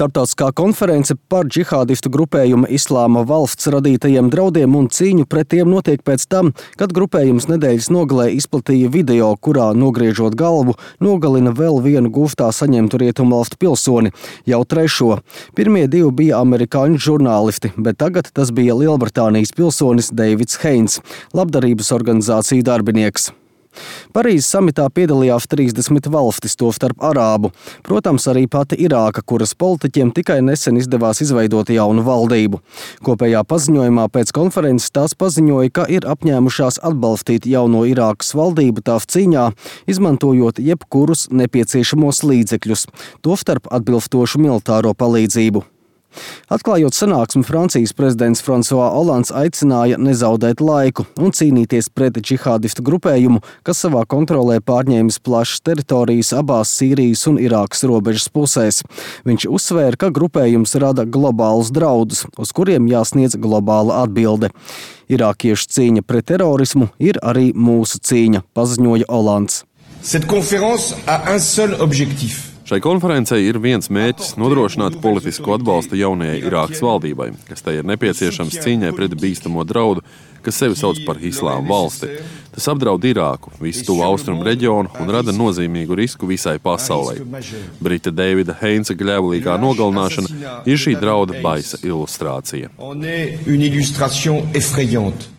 Starptautiskā konference par džihādistu grupējuma Islāma valsts radītajiem draudiem un cīņu pret tiem notiek pēc tam, kad grupējums nedēļas nogalē izplatīja video, kurā, nogriežot galvu, nogalina vēl vienu guftā saņemtu rietumvalstu pilsoni, jau trešo. Pirmie divi bija amerikāņu žurnālisti, bet tagad tas bija Lielbritānijas pilsonis Deivids Heins, labdarības organizāciju darbinieks. Parīzes samitā piedalījās 30 valstis, tostarp arābu. Protams, arī pati Irāka, kuras politiķiem tikai nesen izdevās izveidot jaunu valdību. Kopējā paziņojumā pēc konferences tās paziņoja, ka ir apņēmušās atbalstīt jauno Irākas valdību tās cīņā, izmantojot jebkurus nepieciešamos līdzekļus, tostarp atbilstošu militāro palīdzību. Atklājot sanāksmi, Francijas prezidents François Hollands aicināja nezaudēt laiku un cīnīties pret džihādistu grupējumu, kas savā kontrolē pārņēmis plašas teritorijas abās Sīrijas un Irākas robežas pusēs. Viņš uzsvēra, ka grupējums rada globālus draudus, uz kuriem jāsniedz globāla atbilde. Irākiešu cīņa pret terorismu ir arī mūsu cīņa, paziņoja Hollands. Cette conférence a un seul objectif. Šai konferencei ir viens mērķis – nodrošināt politisku atbalstu jaunajai Irākas valdībai, kas tai ir nepieciešams cīņai pret bīstamo draudu, kas sevi sauc par Islāma valsti. Tas apdraud Irāku, visu tuvu austrumu reģionu un rada nozīmīgu risku visai pasaulei. Brita Deivida Heinsa gļēvulīgā nogalināšana ir šī drauda baisa ilustrācija.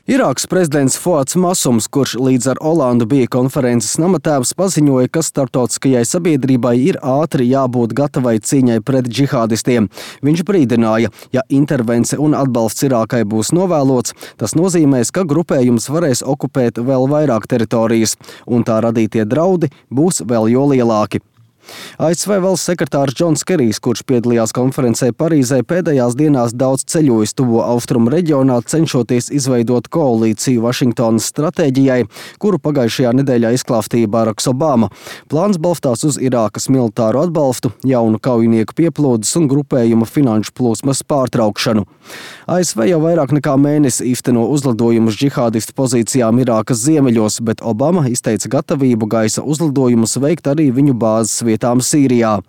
Irākas prezidents Fuads Masums, kurš līdz ar Holandu bija konferences namatēvs, paziņoja, ka starptautiskajai sabiedrībai ir ātri jābūt gatavai cīņai pret džihādistiem. Viņš brīdināja, ja intervence un atbalsts Irākai būs novēlots, tas nozīmēs, ka grupējums varēs okupēt vēl vairāk teritorijas, un tā radītie draudi būs vēl jo lielāki. ASV valsts sekretārs Džons Kerijs, kurš piedalījās konferencē Parīzē, pēdējās dienās daudz ceļojis tuvo austrumu reģionā, cenšoties izveidot koalīciju Vašingtonas stratēģijai, kuru pagājušajā nedēļā izklāstīja Baraks Obama. Plāns balstās uz Irākas militāru atbalstu, jaunu kaujinieku pieplūdes un grupējuma finanšu plūsmas pārtraukšanu. ASV jau vairāk nekā mēnesi īsteno uzlidojumus džihādistu pozīcijām Irākas ziemeļos, bet Obama izteica gatavību gaisa uzlidojumus veikt arī viņu bāzes vietām Sīrijā.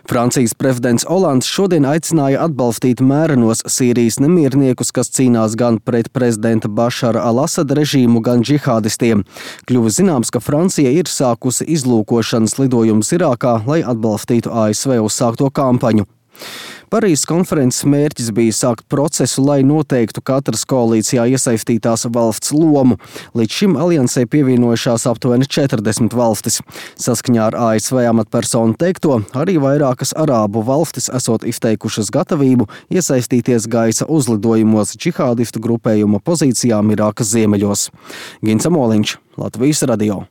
Francijas prezidents Hollands šodien aicināja atbalstīt mērenos Sīrijas nemierniekus, kas cīnās gan pret prezidenta Bašara al-Asada režīmu, gan džihādistiem. Kļuva zināms, ka Francija ir sākusi izlūkošanas lidojumus Irākā, lai atbalstītu ASV uzsākto kampaņu. Parīzes konferences mērķis bija sākt procesu, lai noteiktu katras koalīcijā iesaistītās valsts lomu. Līdz šim aliansē pievienojušās aptuveni 40 valstis. Saskaņā ar ASV amatpersonu teikto, arī vairākas arābu valstis esot izteikušas gatavību iesaistīties gaisa uzlidojumos džihādistu grupējuma pozīcijām Irākas ziemeļos. Gins Amoliņš, Latvijas radio.